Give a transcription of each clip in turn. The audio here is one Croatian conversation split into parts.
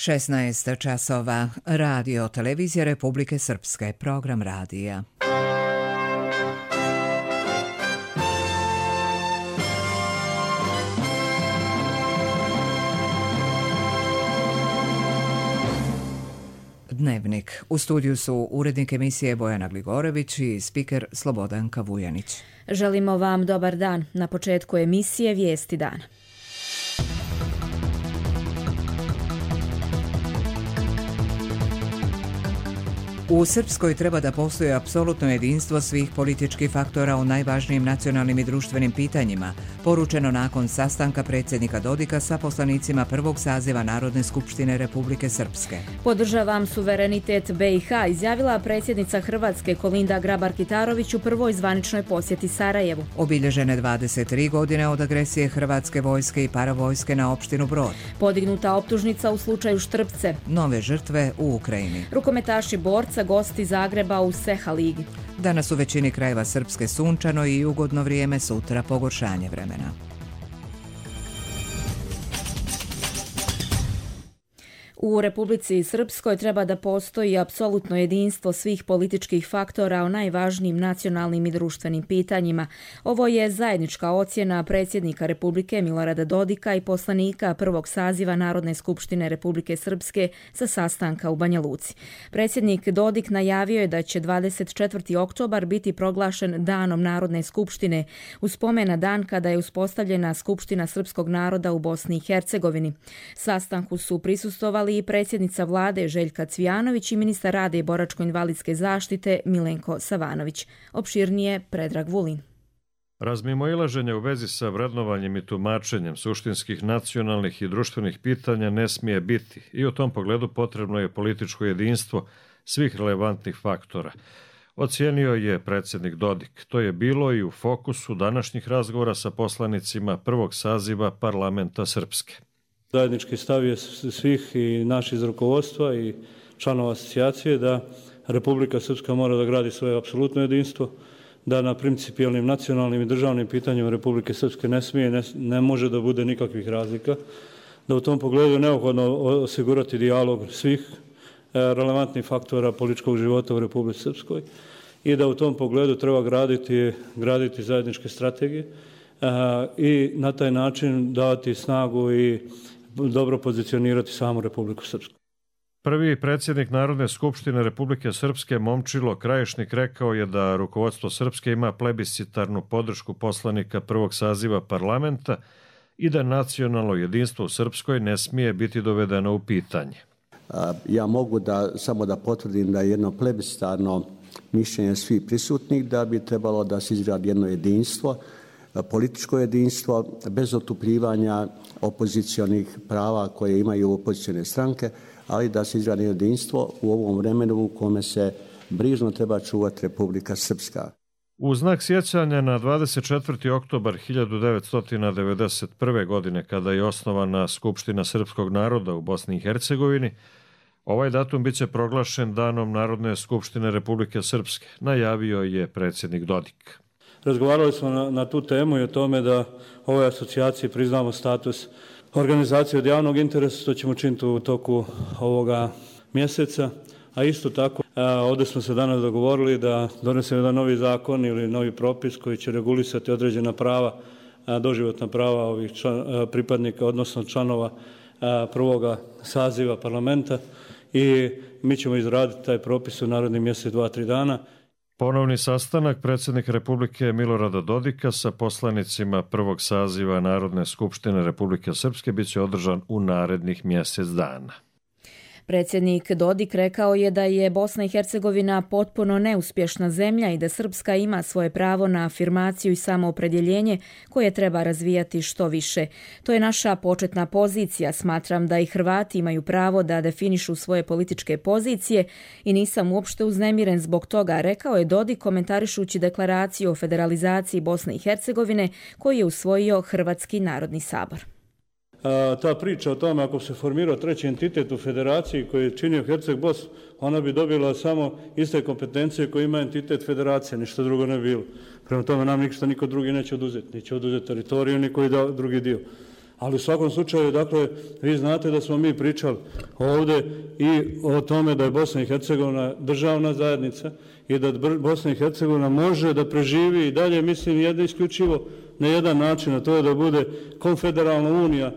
16 časova. Radio Televizija Republike Srpske. Program radija. Dnevnik. U studiju su urednik emisije Bojana Gligorević i spiker Slobodanka Vujanić. Želimo vam dobar dan. Na početku emisije Vijesti dana. U Srpskoj treba da postoji apsolutno jedinstvo svih političkih faktora u najvažnijim nacionalnim i društvenim pitanjima, poručeno nakon sastanka predsjednika Dodika sa poslanicima prvog saziva Narodne skupštine Republike Srpske. Podržavam suverenitet BiH, izjavila predsjednica Hrvatske Kolinda Grabar-Kitarović u prvoj zvaničnoj posjeti Sarajevu. Obilježene 23 godine od agresije hrvatske vojske i paravojske na opštinu Brod. Podignuta optužnica u slučaju Štrpce. Nove žrtve u Ukrajini. Rukometaši Borca gosti Zagreba u Seha ligi. Danas u većini krajeva Srpske sunčano i ugodno vrijeme, sutra pogoršanje vremena. U Republici Srpskoj treba da postoji apsolutno jedinstvo svih političkih faktora o najvažnijim nacionalnim i društvenim pitanjima. Ovo je zajednička ocjena predsjednika Republike Milorada Dodika i poslanika prvog saziva Narodne skupštine Republike Srpske sa sastanka u Banja Luci. Predsjednik Dodik najavio je da će 24. oktobar biti proglašen Danom Narodne skupštine u spomen na dan kada je uspostavljena Skupština srpskog naroda u Bosni i Hercegovini. Sastanku su prisustvovali i predsjednica vlade Željka Cvijanović i ministar rada i boračko-invalidske zaštite Milenko Savanović. Opširnije Predrag Vulin. Razmimoilaženje u vezi sa vrednovanjem i tumačenjem suštinskih nacionalnih i društvenih pitanja ne smije biti i u tom pogledu potrebno je političko jedinstvo svih relevantnih faktora. Ocijenio je predsjednik Dodik. To je bilo i u fokusu današnjih razgovora sa poslanicima prvog saziva parlamenta Srpske. Zajednički stav je svih i naših iz rukovodstva i članova asocijacije da Republika Srpska mora da gradi svoje apsolutno jedinstvo, da na principijelnim nacionalnim i državnim pitanjima Republike Srpske ne može da bude nikakvih razlika, da u tom pogledu je neophodno osigurati dijalog svih relevantnih faktora političkog života u Republici Srpskoj i da u tom pogledu treba graditi zajedničke strategije i na taj način dati snagu i dobro pozicionirati samu Republiku Srpsku. Prvi predsjednik Narodne skupštine Republike Srpske Momčilo Krajišnik rekao je da rukovodstvo Srpske ima plebiscitarnu podršku poslanika prvog saziva parlamenta i da nacionalno jedinstvo u Srpskoj ne smije biti dovedeno u pitanje. Ja mogu samo da potvrdim da je jedno plebiscitarno mišljenje svih prisutnih da bi trebalo da se izgradi jedno jedinstvo, političko jedinstvo bez otupljivanja opozicionih prava koje imaju opozicione stranke, ali da se izgradi jedinstvo u ovom vremenu u kome se brižno treba čuvati Republika Srpska. U znak sjećanja na 24. oktobar 1991. godine, kada je osnovana Skupština srpskog naroda u Bosni i Hercegovini, ovaj datum biće proglašen Danom Narodne skupštine Republike Srpske, najavio je predsjednik Dodik. Razgovarali smo na tu temu i o tome da ovoj asocijaciji priznamo status organizacije od javnog interesa, to ćemo činiti u toku ovoga mjeseca, a isto tako ovdje smo se danas dogovorili da donesemo jedan novi zakon ili novi propis koji će regulisati određena prava, doživotna prava ovih pripadnika, odnosno članova prvoga saziva parlamenta i mi ćemo izraditi taj propis u narednim mjesec, 2-3 dana. Ponovni sastanak predsjednika Republike Milorada Dodika sa poslanicima prvog saziva Narodne skupštine Republike Srpske biće održan u narednih mjesec dana. Predsjednik Dodik rekao je da je Bosna i Hercegovina potpuno neuspješna zemlja i da Srpska ima svoje pravo na afirmaciju i samoopredjeljenje koje treba razvijati što više. To je naša početna pozicija. Smatram da i Hrvati imaju pravo da definišu svoje političke pozicije i nisam uopšte uznemiren zbog toga, rekao je Dodik komentarišući deklaraciju o federalizaciji Bosne i Hercegovine koju je usvojio Hrvatski narodni sabor. Ta priča o tome ako se formirao treći entitet u federaciji koji je činio Herceg-Bos, ona bi dobila samo iste kompetencije koje ima entitet federacije, ništa drugo ne bi bilo. Prema tome nam ništa niko drugi neće oduzeti. Neće oduzeti teritoriju, niko i drugi dio. Ali u svakom slučaju, dakle, vi znate da smo mi pričali ovdje i o tome da je Bosna i Hercegovina državna zajednica i da Bosna i Hercegovina može da preživi i dalje, mislim, jedno isključivo na jedan način, a to je da bude konfederalna unija,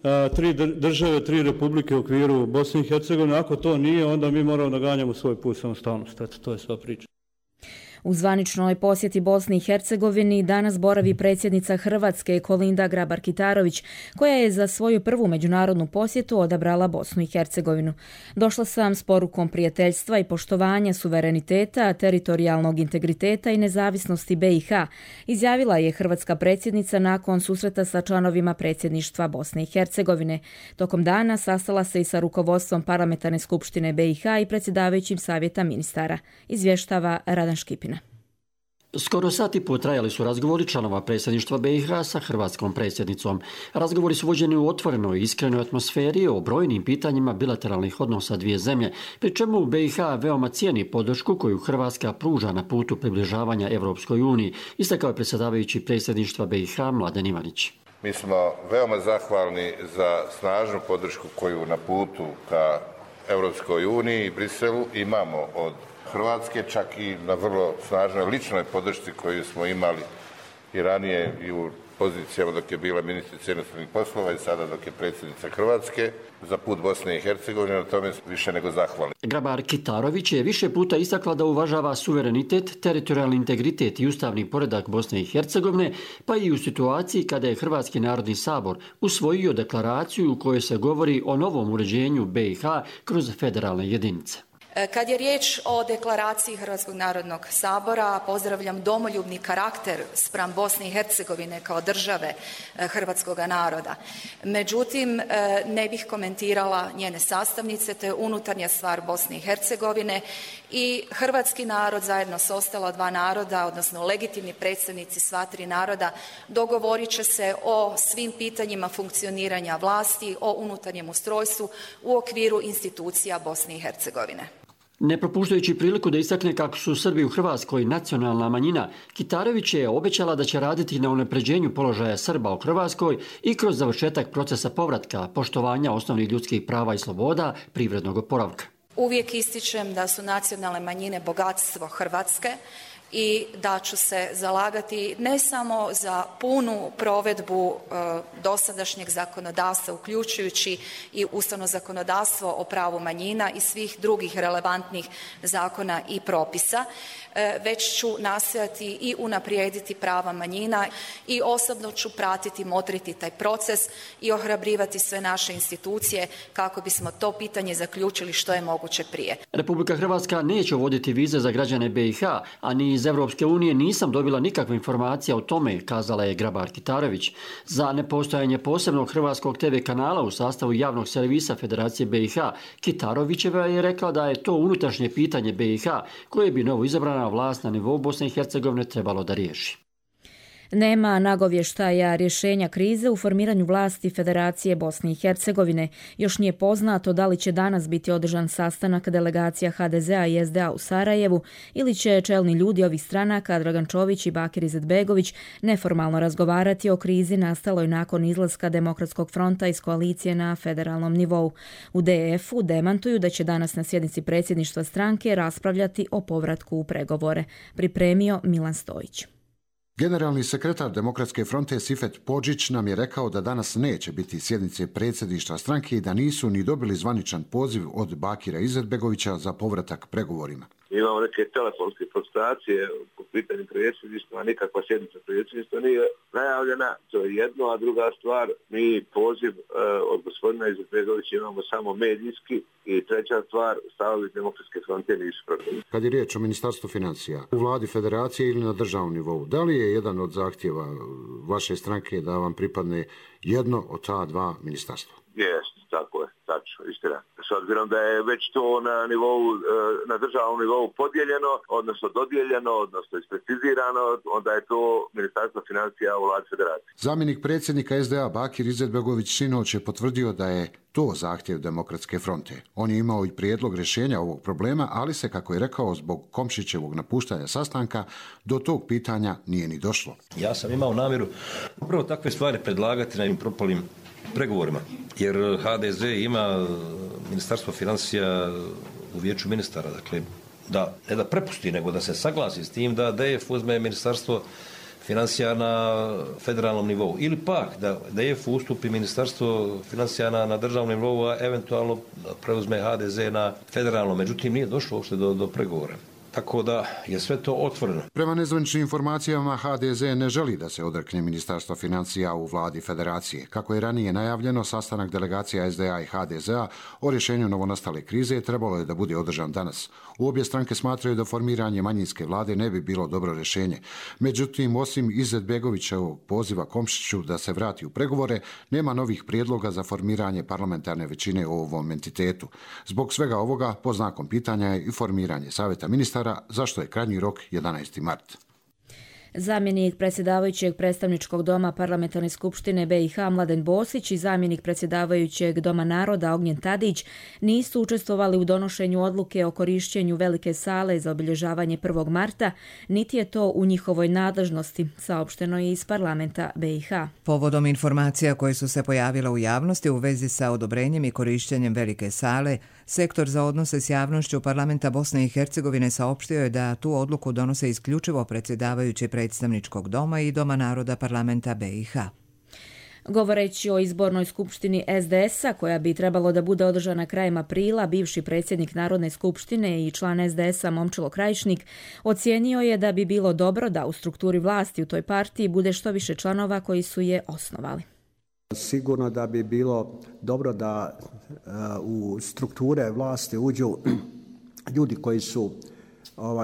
3 države, 3 republike u okviru Bosne i Hercegovine. Ako to nije, onda mi moramo da ganjamo svoj put samostalnosti. Eto, to je sva priča. U zvaničnoj posjeti Bosni i Hercegovini danas boravi predsjednica Hrvatske Kolinda Grabar-Kitarović, koja je za svoju prvu međunarodnu posjetu odabrala Bosnu i Hercegovinu. Došla sam s porukom prijateljstva i poštovanja suvereniteta, teritorijalnog integriteta i nezavisnosti BiH, izjavila je hrvatska predsjednica nakon susreta sa članovima predsjedništva Bosne i Hercegovine. Tokom dana sastala se i sa rukovodstvom Parlamentarne skupštine BiH i predsjedavajućim savjeta ministara, izvještava Radan Škipin. Skoro sat i pol trajali su razgovori članova predsjedništva BiH sa hrvatskom predsjednicom. Razgovori su vođeni u otvorenoj i iskrenoj atmosferi o brojnim pitanjima bilateralnih odnosa dvije zemlje, pri čemu BiH veoma cijeni podršku koju Hrvatska pruža na putu približavanja Evropskoj uniji, istakao je predsjedavajući predsjedništva BiH Mladen Ivanić. Mi smo veoma zahvalni za snažnu podršku koju na putu ka Evropskoj uniji i Briselu imamo od Hrvatske, čak i na vrlo snažnoj ličnoj podršci koju smo imali i ranije i u pozicijama dok je bila ministrica inostranih poslova i sada dok je predsjednica Hrvatske za put Bosne i Hercegovine, na tome više nego zahvalni. Grabar-Kitarović je više puta istakla da uvažava suverenitet, teritorijalni integritet i ustavni poredak Bosne i Hercegovine, pa i u situaciji kada je Hrvatski narodni sabor usvojio deklaraciju u kojoj se govori o novom uređenju BiH kroz federalne jedinice. Kad je riječ o deklaraciji Hrvatskog narodnog sabora, pozdravljam domoljubni karakter spram Bosne i Hercegovine kao države hrvatskoga naroda. Međutim, ne bih komentirala njene sastavnice, to je unutarnja stvar Bosne i Hercegovine i hrvatski narod zajedno s ostala 2 naroda, odnosno legitimni predstavnici sva 3 naroda, dogovorit će se o svim pitanjima funkcioniranja vlasti, o unutarnjem ustrojstvu u okviru institucija Bosne i Hercegovine. Ne propuštajući priliku da istakne kako su Srbi u Hrvatskoj nacionalna manjina, Kitarović je obećala da će raditi na unapređenju položaja Srba u Hrvatskoj i kroz završetak procesa povratka, poštovanja osnovnih ljudskih prava i sloboda, privrednog oporavka. Uvijek ističem da su nacionalne manjine bogatstvo Hrvatske i da ću se zalagati ne samo za punu provedbu dosadašnjeg zakonodavstva, uključujući i ustavno zakonodavstvo o pravu manjina i svih drugih relevantnih zakona i propisa, već ću nastojati i unaprijediti prava manjina i osobno ću pratiti, motriti taj proces i ohrabrivati sve naše institucije kako bismo to pitanje zaključili što je moguće prije. Republika Hrvatska neće uvoditi vize za građane BiH, a ni iz Evropske unije nisam dobila nikakve informacije o tome, kazala je Grabar-Kitarović. Za nepostojanje posebnog hrvatskog TV kanala u sastavu javnog servisa Federacije BiH, Kitarovićeva je rekla da je to unutrašnje pitanje BiH koje bi novo izabrana vlast na nivou Bosne i Hercegovine trebalo da riješi. Nema nagovještaja rješenja krize u formiranju vlasti Federacije Bosne i Hercegovine. Još nije poznato da li će danas biti održan sastanak delegacija HDZ-a i SDA u Sarajevu ili će čelni ljudi ovih stranaka, Dragan Čović i Bakir Izetbegović, neformalno razgovarati o krizi nastaloj nakon izlaska Demokratskog fronta iz koalicije na federalnom nivou. U DF-u demantuju da će danas na sjednici predsjedništva stranke raspravljati o povratku u pregovore. Pripremio Milan Stojić. Generalni sekretar Demokratske fronte Sifet Podžić nam je rekao da danas neće biti sjednice predsjedništva stranke i da nisu ni dobili zvaničan poziv od Bakira Izetbegovića za povratak pregovorima. Imamo neke telefonske konsultacije po pitanju predsjedništva, nikakva sjednica predsjedništva nije najavljena, to je jedno, a druga stvar, mi poziv od gospodina Izetbegovića imamo samo medijski i treća stvar, stavovi Demokratske fronte nisu protiv. Kad je riječ o Ministarstvu financija, u vladi federacije ili na državnom nivou, da li je jedan od zahtjeva vaše stranke da vam pripadne jedno od ta 2 ministarstva? Jeste, tako je, tačno, istina. S obzirom da je već to na državnom nivou podijeljeno, odnosno dodijeljeno, odnosno isprecizirano, onda je to Ministarstvo financija u vladi federacije. Zamjenik predsjednika SDA Bakir Izetbegović sinoć je potvrdio da je to zahtjev Demokratske fronte. On je imao i prijedlog rješenja ovog problema, ali se, kako je rekao, zbog Komšićevog napuštanja sastanka, do tog pitanja nije ni došlo. Ja sam imao namjeru upravo takve stvari predlagati na propalim pregovorima. Jer HDZ ima Ministarstvo financija u vijeću ministara, dakle, ne da prepusti, nego da se saglasi s tim da DF uzme Ministarstvo financija na federalnom nivou. Ili pak da DF ustupi Ministarstvo financija na državnom nivou, a eventualno preuzme HDZ na federalnom. Međutim, nije došlo uopšte do pregovora. Tako da je sve to otvoreno. Prema nezvaničnim informacijama, HDZ ne želi da se odrekne Ministarstva financija u vladi federacije. Kako je ranije najavljeno, sastanak delegacija SDA i HDZ-a o rješenju novonastale krize trebalo je da bude održan danas. U obje stranke smatraju da formiranje manjinske vlade ne bi bilo dobro rješenje. Međutim, osim Izetbegovićevog poziva Komšiću da se vrati u pregovore, nema novih prijedloga za formiranje parlamentarne većine u ovom entitetu. Zbog svega ovoga, pod znakom pitanja je i formiranje savjeta ministara, zašto je krajnji rok 11. mart. Zamjenik predsjedavajućeg predstavničkog doma Parlamentarne skupštine BiH Mladen Bosić i zamjenik predsjedavajućeg Doma naroda Ognjen Tadić nisu učestvovali u donošenju odluke o korišćenju velike sale za obilježavanje 1. marta, niti je to u njihovoj nadležnosti, saopšteno je iz parlamenta BiH. Povodom informacija koje su se pojavile u javnosti u vezi sa odobrenjem i korišćenjem velike sale, Sektor za odnose s javnošću parlamenta Bosne i Hercegovine saopštio je da tu odluku donose isključivo predsjedavajući predstavničkog doma i Doma naroda parlamenta BiH. Govoreći o izbornoj skupštini SDS-a, koja bi trebalo da bude održana krajem aprila, bivši predsjednik Narodne skupštine i član SDS-a Momčilo Krajišnik ocijenio je da bi bilo dobro da u strukturi vlasti u toj partiji bude što više članova koji su je osnovali. Sigurno da bi bilo dobro da u strukture vlasti uđu ljudi koji su,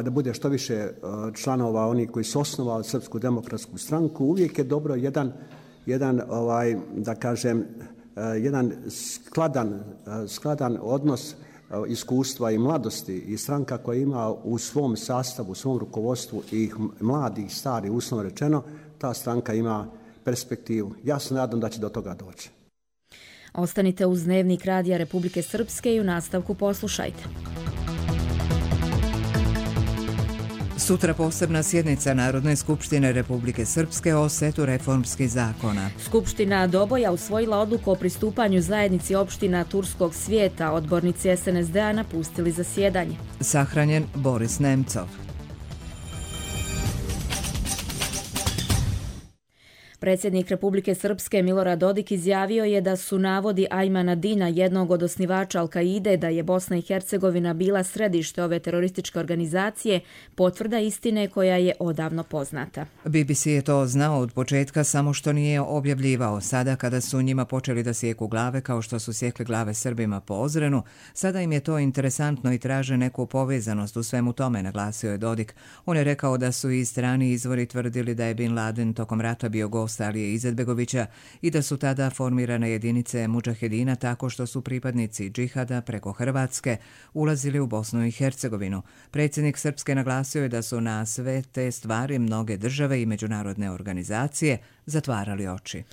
da bude što više članova oni koji su osnovali Srpsku demokratsku stranku. Uvijek je dobro jedan skladan odnos iskustva i mladosti i stranka koja ima u svom sastavu, u svom rukovodstvu i mladi i stari, uslovno rečeno, ta stranka ima perspektivu. Ja se nadam da će do toga doći. Ostanite uz Dnevnik Radija Republike Srpske i u nastavku poslušajte. Sutra posebna sjednica Narodne skupštine Republike Srpske o setu reformskih zakona. Skupština Doboja usvojila odluku o pristupanju zajednici opština Turskog svijeta. Odbornici SNSD-a napustili zasjedanje. Sahranjen Boris Nemcov. Predsjednik Republike Srpske Milorad Dodik izjavio je da su navodi Ajmana Dina, jednog od osnivača Al-Kaide, da je Bosna i Hercegovina bila središte ove terorističke organizacije, potvrda istine koja je odavno poznata. BBC je to znao od početka, samo što nije objavljivao. Sada kada su njima počeli da sjeku glave, kao što su sjekli glave Srbima po Ozrenu, sada im je to interesantno i traže neku povezanost u svemu tome, naglasio je Dodik. On je rekao da su i strani izvori tvrdili da je Bin Laden tokom rata bio gost Alije Izetbegovića i da su tada formirane jedinice mudžahedina tako što su pripadnici džihada preko Hrvatske ulazili u Bosnu i Hercegovinu. Predsjednik Srpske naglasio je da su na sve te stvari mnoge države i međunarodne organizacije zatvarali oči.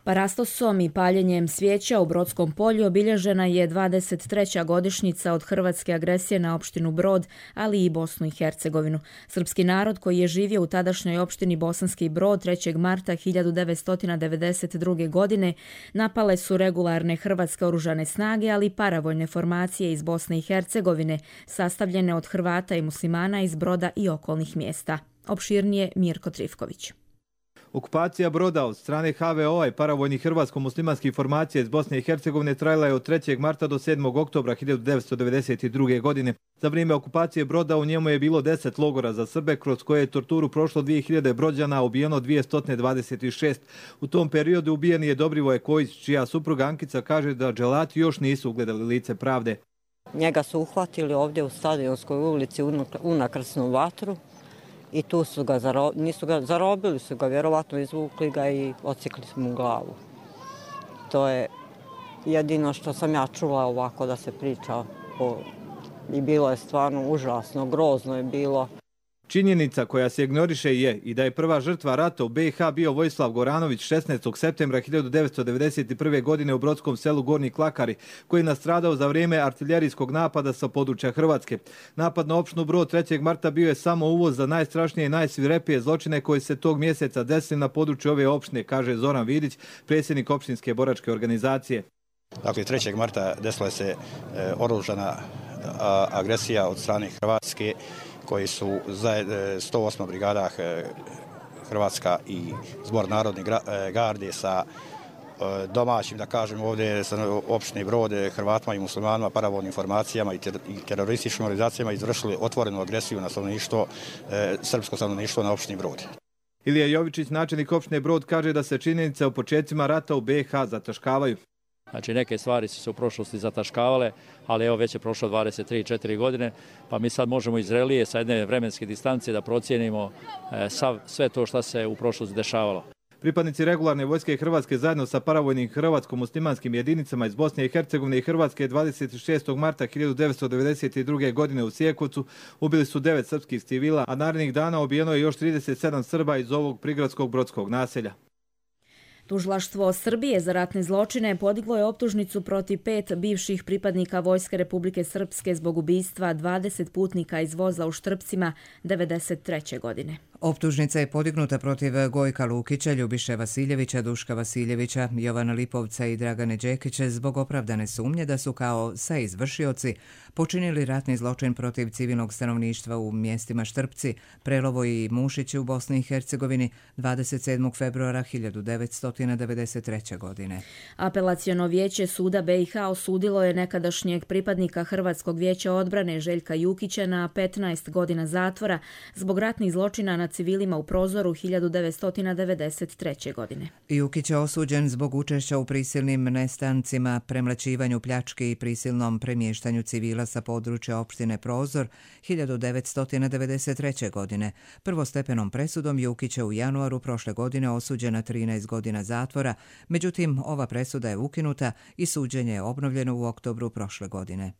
Parastosom i paljenjem svijeća u Brodskom polju obilježena je 23. godišnjica od hrvatske agresije na opštinu Brod, ali i Bosnu i Hercegovinu. Srpski narod koji je živio u tadašnjoj opštini Bosanski Brod 3. marta 1992. godine napale su regularne hrvatske oružane snage, ali i paravojne formacije iz Bosne i Hercegovine, sastavljene od Hrvata i muslimana iz Broda i okolnih mjesta. Opširnije Mirko Trifković. Okupacija Broda od strane HVO-a i paravojnih hrvatsko-muslimanskih formacija iz Bosne i Hercegovine trajala je od 3. marta do 7. oktobra 1992. godine. Za vrijeme okupacije Broda u njemu je bilo 10 logora za Srbe, kroz koje je torturu prošlo 2000 Brođana, ubijeno 226. U tom periodu ubijen je Dobrivoje Kojić, čija supruga Ankica kaže da dželati još nisu ugledali lice pravde. Njega su uhvatili ovdje u Stadionskoj ulici u nakrsnu vatru. I tu su ga zarobili su ga, vjerovatno izvukli ga i odsjekli su mu glavu. To je jedino što sam ja čula ovako da se priča. I bilo je stvarno užasno, grozno je bilo. Činjenica koja se ignoriše je i da je prva žrtva rata u BiH bio Vojislav Goranović 16. septembra 1991. godine u brodskom selu Gornji Klakari, koji je nastradao za vrijeme artiljerijskog napada sa područja Hrvatske. Napad na opštinu Brod 3. marta bio je samo uvoz za najstrašnije i najsvirepije zločine koji se tog mjeseca desili na području ove opštine, kaže Zoran Vidić, predsjednik opštinske boračke organizacije. Dakle, 3. marta desila se oružana agresija od strane Hrvatske, koji su 108. brigada Hrvatska i Zbor narodne garde sa domaćim, da kažem ovdje, sa opštine Brod, Hrvatima i muslimanima, paravojnim formacijama i terorističkim organizacijama izvršili otvorenu agresiju na stanovništvo, srpsko stanovništvo na opštini Brod. Ilija Jovičić, načelnik opštine Brod, kaže da se činjenice o početcima rata u BiH zataškavaju. Znači, neke stvari su se u prošlosti zataškavale, ali evo već je prošlo 23-4 godine, pa mi sad možemo iz relije sa jedne vremenske distance da procijenimo sve to što se u prošlosti dešavalo. Pripadnici regularne vojske Hrvatske zajedno sa paravojnim hrvatsko-muslimanskim jedinicama iz Bosne i Hercegovine i Hrvatske 26. marta 1992. godine u Sjekovcu ubili su 9 srpskih civila, a narednih dana ubijeno je još 37 Srba iz ovog prigradskog brodskog naselja. Tužilaštvo Srbije za ratne zločine podiglo je optužnicu protiv 5 bivših pripadnika Vojske Republike Srpske zbog ubistva 20 putnika iz voza u Štrpcima 1993. godine. Optužnica je podignuta protiv Gojka Lukića, Ljubiše Vasiljevića, Duška Vasiljevića, Jovana Lipovca i Dragane Đekića zbog opravdane sumnje da su kao saizvršioci počinili ratni zločin protiv civilnog stanovništva u mjestima Štrpci, Prelovo i Mušići u Bosni i Hercegovini 27. februara 1993. godine. Apelaciono vijeće suda BiH osudilo je nekadašnjeg pripadnika Hrvatskog vijeća odbrane Željka Jukića na 15 godina zatvora zbog ratnih zločina na civilima u Prozoru 1993. godine. Jukić je osuđen zbog učešća u prisilnim nestancima, premlaćivanju, pljački i prisilnom premještanju civila sa područja opštine Prozor 1993. godine. Prvostepenom presudom Jukić je u januaru prošle godine osuđen na 13 godina zatvora, međutim ova presuda je ukinuta i suđenje je obnovljeno u oktobru prošle godine.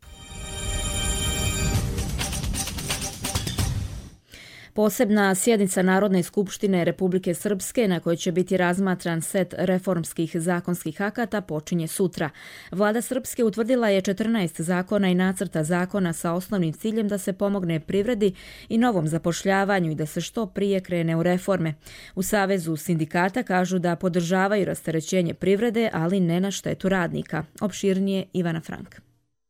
Posebna sjednica Narodne skupštine Republike Srpske na kojoj će biti razmatran set reformskih zakonskih akata počinje sutra. Vlada Srpske utvrdila je 14 zakona i nacrta zakona sa osnovnim ciljem da se pomogne privredi i novom zapošljavanju i da se što prije krene u reforme. U Savezu sindikata kažu da podržavaju rasterećenje privrede, ali ne na štetu radnika. Opširnije Ivana Frank.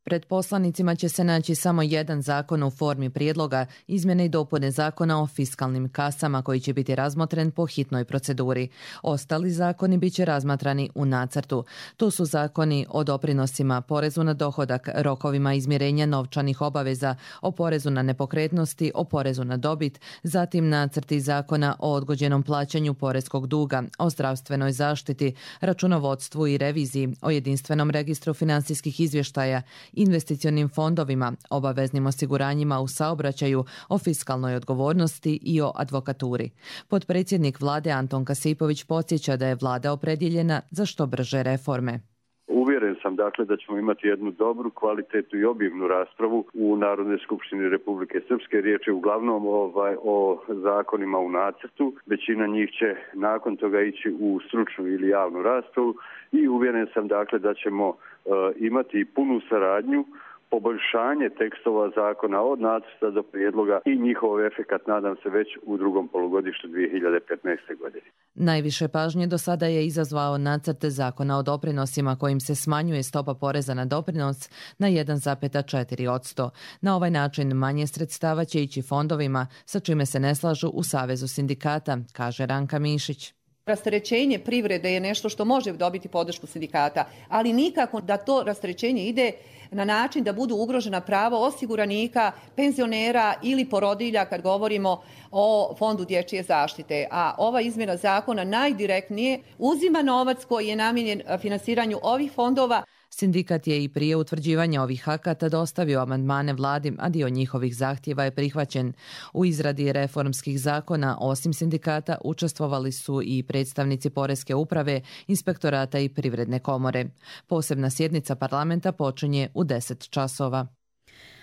Pred poslanicima će se naći samo jedan zakon u formi prijedloga, izmjene i dopune zakona o fiskalnim kasama koji će biti razmotren po hitnoj proceduri. Ostali zakoni bit će razmatrani u nacrtu. To su zakoni o doprinosima, porezu na dohodak, rokovima izmirenja novčanih obaveza, o porezu na nepokretnosti, o porezu na dobit, zatim nacrti zakona o odgođenom plaćanju poreskog duga, o zdravstvenoj zaštiti, računovodstvu i reviziji, o jedinstvenom registru finansijskih izvještaja, investicionim fondovima, obaveznim osiguranjima u saobraćaju, o fiskalnoj odgovornosti i o advokaturi. Potpredsjednik vlade Anton Kasipović podsjeća da je vlada opredjeljena za što brže reforme. Uvjeren sam dakle da ćemo imati jednu dobru, kvalitetnu i objektivnu raspravu u Narodnoj skupštini Republike Srpske. Riječ je uglavnom o zakonima u nacrtu. Većina njih će nakon toga ići u stručnu ili javnu raspravu i uvjeren sam dakle da ćemo imati punu saradnju, poboljšanje tekstova zakona od nacrta do prijedloga i njihov efekat nadam se već u drugom polugodištu 2015. godine. Najviše pažnje do sada je izazvao nacrt zakona o doprinosima kojim se smanjuje stopa poreza na doprinos na 1,4%. Na ovaj način manje sredstava će ići fondovima, sa čime se ne slažu u Savezu sindikata, kaže Ranka Mišić. Rasterećenje privrede je nešto što može dobiti podršku sindikata, ali nikako da to rasterećenje ide na način da budu ugrožena prava osiguranika, penzionera ili porodilja kad govorimo o Fondu dječje zaštite. A ova izmjena zakona najdirektnije uzima novac koji je namijenjen finansiranju ovih fondova. Sindikat je i prije utvrđivanja ovih akata dostavio amandmane vladi, a dio njihovih zahtjeva je prihvaćen. U izradi reformskih zakona, osim sindikata, učestvovali su i predstavnici Poreske uprave, Inspektorata i Privredne komore. Posebna sjednica parlamenta počinje u 10 časova.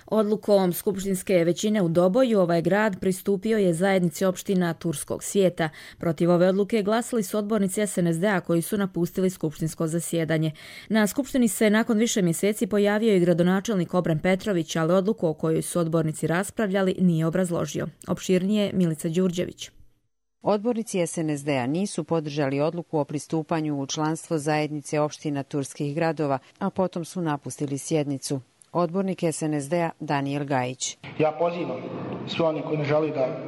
Odlukom skupštinske većine u Doboju ovaj grad pristupio je zajednici opština Turskog svijeta. Protiv ove odluke glasali su odbornici SNSD-a koji su napustili skupštinsko zasjedanje. Na skupštini se nakon više mjeseci pojavio i gradonačelnik Obren Petrović, ali odluku o kojoj su odbornici raspravljali nije obrazložio. Opširnije Milica Đurđević. Odbornici SNSD-a nisu podržali odluku o pristupanju u članstvo zajednice opština turskih gradova, a potom su napustili sjednicu. Odbornik SNSD-a Daniel Gajić. Ja pozivam sve oni koji ne želi da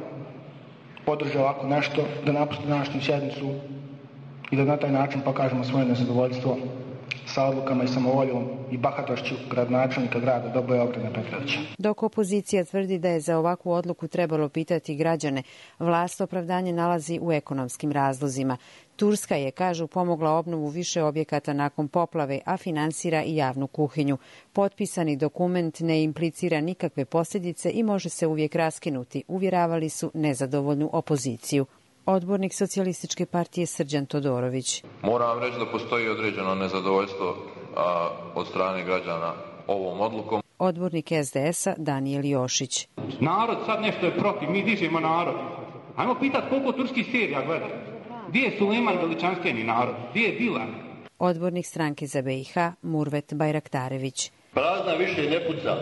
podrže ovako nešto, da napuste današnju sjednicu i da na taj način pokažemo svoje nezadovoljstvo sa odlukama i samovoljom i bahatošću gradonačelnika grada Doboja Obrena Petrovića. Dok opozicija tvrdi da je za ovakvu odluku trebalo pitati građane, vlast opravdanje nalazi u ekonomskim razlozima. Turska je, kažu, pomogla obnovu više objekata nakon poplave, a finansira i javnu kuhinju. Potpisani dokument ne implicira nikakve posljedice i može se uvijek raskinuti, uvjeravali su nezadovoljnu opoziciju. Odbornik Socijalističke partije Srđan Todorović. Moram vam reći da postoji određeno nezadovoljstvo od strane građana ovom odlukom. Odbornik SDS-a Danijel Jošić. Narod sad nešto je protiv, mi dižemo narod. Ajmo pitati koliko turskih serija gleda. Gdje je Sulejman veličanstveni narod? Gdje je Dilan? Odbornik stranke za BiH Murvet Bajraktarević. Prazna više ne puca.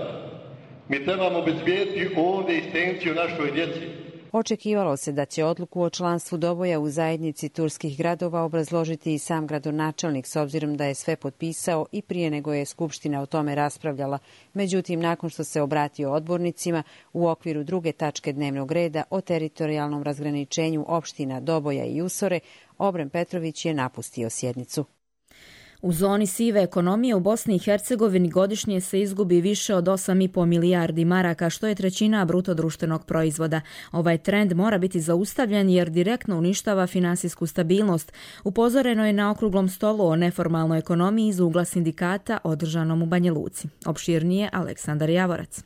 Mi trebamo obezbijediti ovdje egzistenciju našoj djeci. Očekivalo se da će odluku o članstvu Doboja u zajednici turskih gradova obrazložiti i sam gradonačelnik, s obzirom da je sve potpisao i prije nego je Skupština o tome raspravljala. Međutim, nakon što se obratio odbornicima u okviru druge tačke dnevnog reda o teritorijalnom razgraničenju opština Doboja i Usore, Obren Petrović je napustio sjednicu. U zoni sive ekonomije u Bosni i Hercegovini godišnje se izgubi više od 8,5 milijardi maraka, što je trećina bruto društvenog proizvoda. Ovaj trend mora biti zaustavljen jer direktno uništava finansijsku stabilnost. Upozoreno je na okruglom stolu o neformalnoj ekonomiji iz ugla sindikata održanom u Banja Luci. Opširnije Aleksandar Javorac.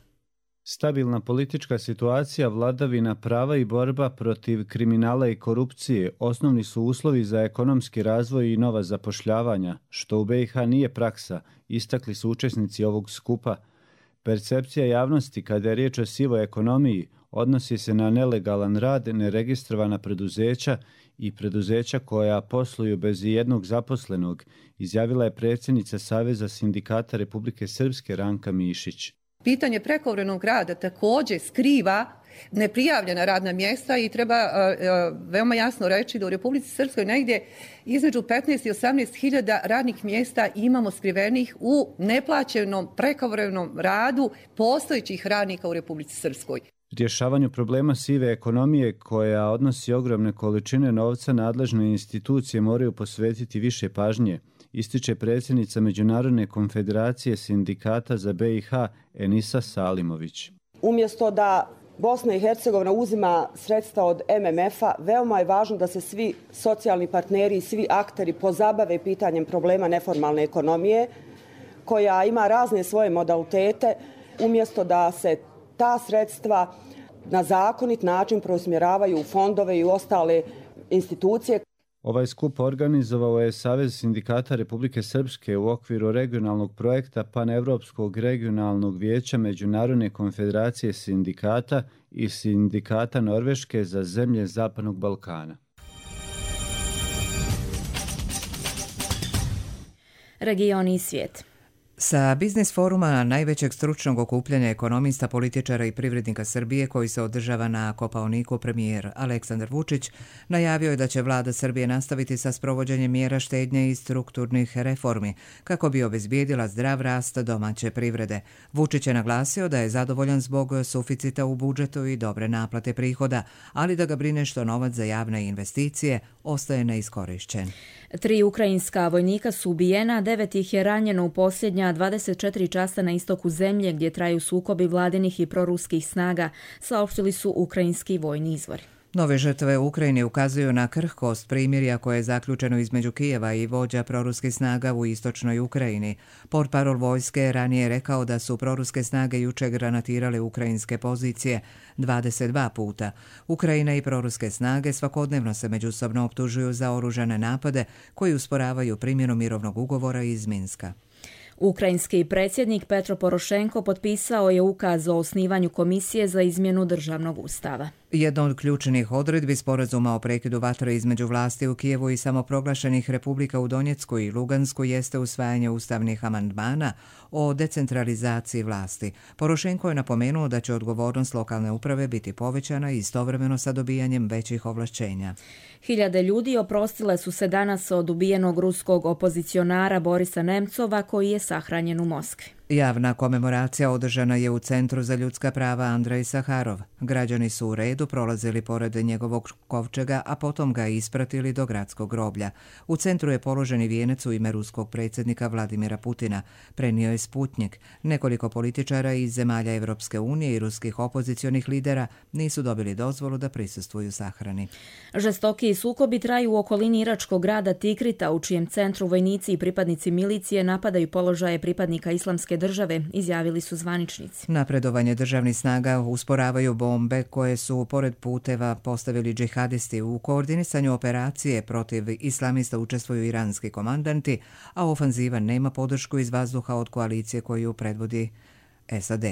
Stabilna politička situacija, vladavina prava i borba protiv kriminala i korupcije osnovni su uslovi za ekonomski razvoj i nova zapošljavanja, što u BiH nije praksa, istakli su učesnici ovog skupa. Percepcija javnosti kada je riječ o sivoj ekonomiji odnosi se na nelegalan rad, neregistrovana preduzeća i preduzeća koja posluju bez jednog zaposlenog, izjavila je predsjednica Saveza sindikata Republike Srpske Ranka Mišić. Pitanje prekovremenog rada također skriva neprijavljena radna mjesta i treba veoma jasno reći da u Republici Srpskoj negdje između 15 i 18 hiljada radnih mjesta imamo skrivenih u neplaćenom prekovremenom radu postojećih radnika u Republici Srpskoj. Rješavanju problema sive ekonomije koja odnosi ogromne količine novca nadležne institucije moraju posvetiti više pažnje, ističe predsjednica Međunarodne konfederacije sindikata za BiH Enisa Salimović. Umjesto da Bosna i Hercegovina uzima sredstva od MMF-a, veoma je važno da se svi socijalni partneri i svi akteri pozabave pitanjem problema neformalne ekonomije, koja ima razne svoje modalitete, umjesto da se ta sredstva na zakonit način preusmjeravaju u fondove i u ostale institucije. Ovaj skup organizovao je Savez sindikata Republike Srpske u okviru regionalnog projekta Panevropskog regionalnog vijeća Međunarodne konfederacije sindikata i sindikata Norveške za zemlje Zapadnog Balkana. Regioni i svijet. Sa biznis foruma, najvećeg stručnog okupljanja ekonomista, političara i privrednika Srbije koji se održava na Kopaoniku, premijer Aleksandar Vučić najavio je da će vlada Srbije nastaviti sa sprovođenjem mjera štednje i strukturnih reformi kako bi obezbijedila zdrav rast domaće privrede. Vučić je naglasio da je zadovoljan zbog suficita u budžetu i dobre naplate prihoda, ali da ga brine što novac za javne investicije ostaje neiskorišćen. 3 ukrajinska vojnika su ubijena, 9 ih je ranjeno u posljednja 24 časa na istoku zemlje gdje traju sukobi vladinih i proruskih snaga, saopštili su ukrajinski vojni izvori. Nove žrtve u Ukrajini ukazuju na krhkost primirja koje je zaključeno između Kijeva i vođa proruskih snaga u istočnoj Ukrajini. Portparol vojske je ranije rekao da su proruske snage jučer granatirale ukrajinske pozicije 22 puta. Ukrajina i proruske snage svakodnevno se međusobno optužuju za oružane napade koji usporavaju primjenu mirovnog ugovora iz Minska. Ukrajinski predsjednik Petro Porošenko potpisao je ukaz o osnivanju komisije za izmjenu državnog ustava. Jedna od ključnih odredbi sporazuma o prekidu vatre između vlasti u Kijevu i samoproglašenih republika u Donjecku i Lugansku jeste usvajanje ustavnih amandmana o decentralizaciji vlasti. Porošenko je napomenuo da će odgovornost lokalne uprave biti povećana istovremeno sa dobijanjem većih ovlašćenja. Hiljade ljudi oprostile su se danas od ubijenog ruskog opozicionara Borisa Nemcova koji je sahranjen u Moskvi. Javna komemoracija održana je u Centru za ljudska prava Andrej Saharov. Građani su u redu prolazili pored njegovog kovčega, a potom ga ispratili do gradskog groblja. U centru je položen i vijenac u ime ruskog predsjednika Vladimira Putina. Prenio je Sputnjik. Nekoliko političara iz zemalja Evropske unije i ruskih opozicionih lidera nisu dobili dozvolu da prisustvuju sahrani. Žestoki sukobi traju u okolini iračkog grada Tikrita, u čijem centru vojnici i pripadnici milicije napadaju položaje pripadnika Islamske države, izjavili su zvaničnici. Napredovanje državnih snaga usporavaju bombe koje su pored puteva postavili džihadisti. U koordinisanju operacije protiv islamista učestvuju iranski komandanti, a ofanziva nema podršku iz vazduha od koalicije koju predvodi SAD.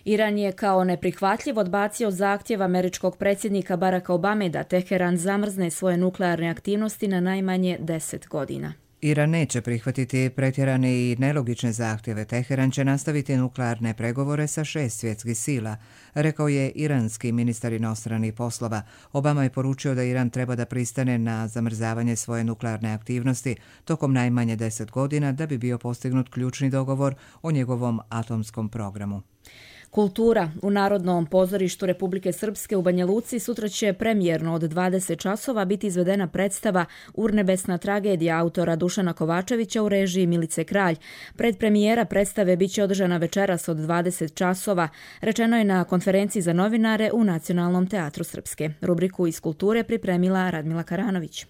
Iran je kao neprihvatljiv odbacio zahtjev američkog predsjednika Baracka Obame da Teheran zamrzne svoje nuklearne aktivnosti na najmanje 10 godina. Iran neće prihvatiti pretjerane i nelogične zahtjeve. Teheran će nastaviti nuklearne pregovore sa 6 svjetskih sila, rekao je iranski ministar inostranih poslova. Obama je poručio da Iran treba da pristane na zamrzavanje svoje nuklearne aktivnosti tokom najmanje 10 godina da bi bio postignut ključni dogovor o njegovom atomskom programu. Kultura. U Narodnom pozorištu Republike Srpske u Banja Luci sutra će premijerno od 20 časova biti izvedena predstava Urnebesna tragedija autora Dušana Kovačevića u režiji Milice Kralj. Predpremijera predstave biće održana večeras od 20 časova, rečeno je na konferenciji za novinare u Nacionalnom teatru Srpske. Rubriku iz kulture pripremila Radmila Karanović.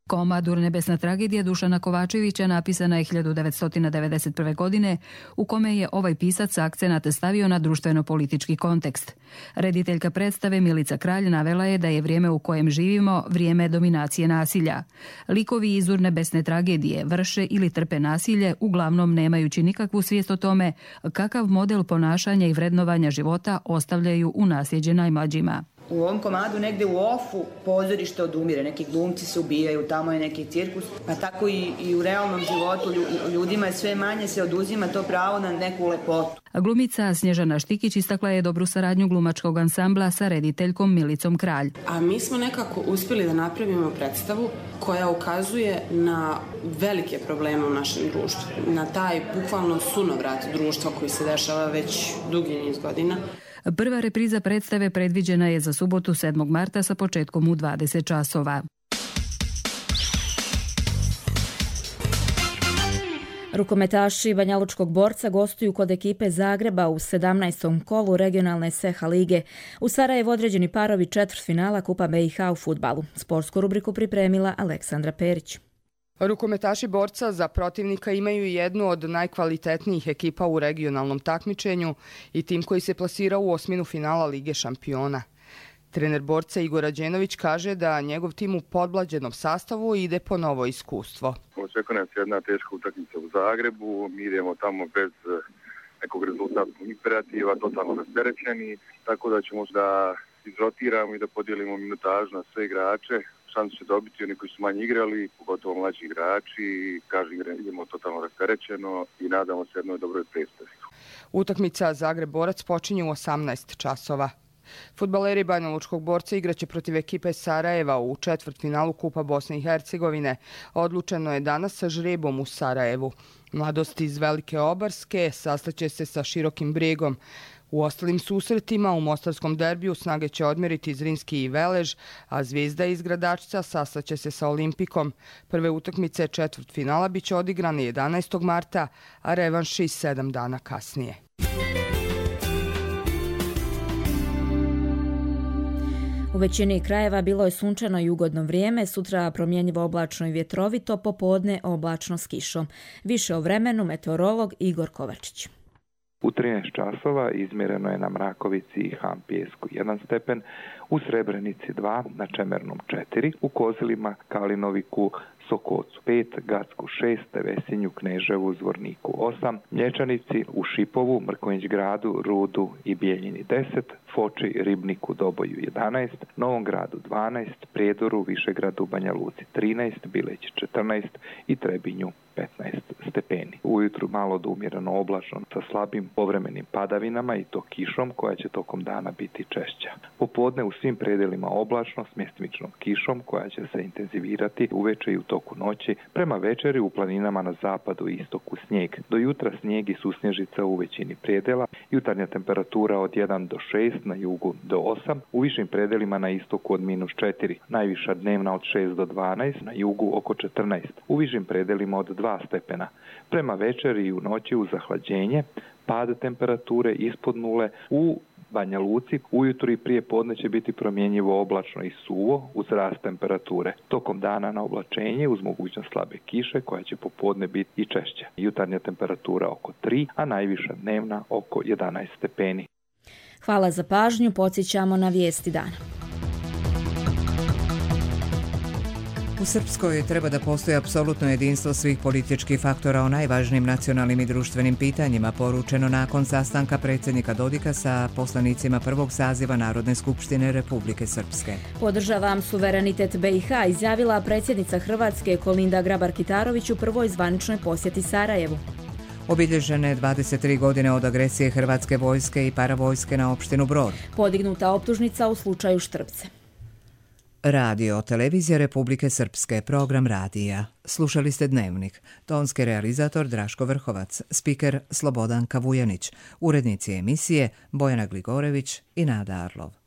Komad Urnebesna tragedija Dušana Kovačevića napisana je 1991. godine, u kome je ovaj pisac akcenat stavio na društveno-politički kontekst. Rediteljka predstave Milica Kralj navela je da je vrijeme u kojem živimo vrijeme dominacije nasilja. Likovi iz Urnebesne tragedije vrše ili trpe nasilje, uglavnom nemajući nikakvu svijest o tome kakav model ponašanja i vrednovanja života ostavljaju u nasljeđe najmlađima. U ovom komadu negde u ofu pozorište odumire, neki glumci se ubijaju, tamo je neki cirkus, pa tako i u realnom životu ljudima je sve manje se oduzima to pravo na neku lepotu. Glumica Snježana Štikić istakla je dobru saradnju glumačkog ansambla sa rediteljkom Milicom Kralj. A mi smo nekako uspjeli da napravimo predstavu koja ukazuje na velike probleme u našem društvu, na taj bukvalno sunovrat društva koji se dešava već dugi niz godina. Prva repriza predstave predviđena je za subotu 7. marta sa početkom u 20 časova. Rukometaši Banjalučkog Borca gostuju kod ekipe Zagreba u 17. kolu regionalne SEHA lige. U Sarajevu određeni parovi četvrtfinala Kupa BiH u fudbalu. Sportsku rubriku pripremila Aleksandra Perić. Rukometaši Borca za protivnika imaju jednu od najkvalitetnijih ekipa u regionalnom takmičenju i tim koji se plasirao u osminu finala Lige šampiona. Trener Borca Igor Rađenović kaže da njegov tim u podmlađenom sastavu ide po novo iskustvo. Očekuje nas jedna teška utakmica u Zagrebu, mi idemo tamo bez nekog rezultatskog imperativa, totalno rasterećeni, tako da ćemo da izrotiramo i da podijelimo minutažu na sve igrače. Šansu će dobiti oni koji su manje igrali, pogotovo mlađi igrači. Kažem, idemo totalno rasterećeno i nadamo se jednoj dobroj predstavi. Utakmica Zagreb-Borac počinje u 18 časova. Fudbaleri Banjalučkog Borca igraće protiv ekipe Sarajeva u četvrtfinalu Kupa Bosne i Hercegovine. Odlučeno je danas sa žrebom u Sarajevu. Mladost iz Velike Obarske sastaće se sa Širokim Bregom. U ostalim susretima u mostarskom derbiju snage će odmjeriti Zrinski i Velež, a Zvijezda iz Gradačca sastaće se sa Olimpikom. Prve utakmice četvrtfinala biće odigrane 11. marta, a revanši 7 dana kasnije. U većini krajeva bilo je sunčano i ugodno vrijeme, sutra promjenjivo oblačno i vjetrovito, popodne oblačno s kišom. Više o vremenu meteorolog Igor Kovačić. U 13 časova izmjereno je na Mrakovici i Hampijesku 1 stepen, u Srebrenici 2, na Čemernom 4, u Kozilima, Kalinoviku, Sokocu 5, Gacku 6, Vesinju, Kneževu, Zvorniku 8, Mlječanici, u Šipovu, Mrkonjić Gradu, Rudu i Bijeljini 10, Foči, Ribniku, Doboju 11, Novom Gradu 12, Prijedoru, Višegradu, Banja Luci 13, Bileći 14 i Trebinju 15 stepeni. Ujutru malo do umjereno oblačno sa slabim povremenim padavinama i to kišom koja će tokom dana biti češća. Popodne u svim predelima oblačno s mjestimičnom kišom koja će se intenzivirati uveče i u toku noći. Prema večeri u planinama na zapadu i istoku snijeg. Do jutra snijeg i susnježica u većini predela. Jutarnja temperatura od 1 do 6, na jugu do 8, u višim predelima na istoku od -4. Najviša dnevna od 6 do 12, na jugu oko 14. U višim predelima od 2 stepena. Prema večeri i u noći uz zahlađenje, pad temperature ispod nule u Banja Luci ujutro i prije podne će biti promjenjivo oblačno i suvo uz rast temperature. Tokom dana na oblačenje uz mogućnost slabe kiše koja će popodne biti i češća. Jutarnja temperatura oko 3, a najviša dnevna oko 11 stepeni. Hvala za pažnju, podsjećamo na vijesti dana. U Srpskoj treba da postoji apsolutno jedinstvo svih političkih faktora o najvažnijim nacionalnim i društvenim pitanjima, poručeno nakon sastanka predsjednika Dodika sa poslanicima prvog saziva Narodne skupštine Republike Srpske. Podržavam suverenitet BiH, izjavila predsjednica Hrvatske Kolinda Grabar-Kitarović u prvoj zvaničnoj posjeti Sarajevu. Obilježene 23 godine od agresije hrvatske vojske i paravojske na opštinu Brod. Podignuta optužnica u slučaju Štrpce. Radio, televizija Republike Srpske, program radija. Slušali ste Dnevnik. Tonski realizator Draško Vrhovac, spiker Slobodan Kavujanić, urednici emisije Bojana Gligorević i Nada Arlov.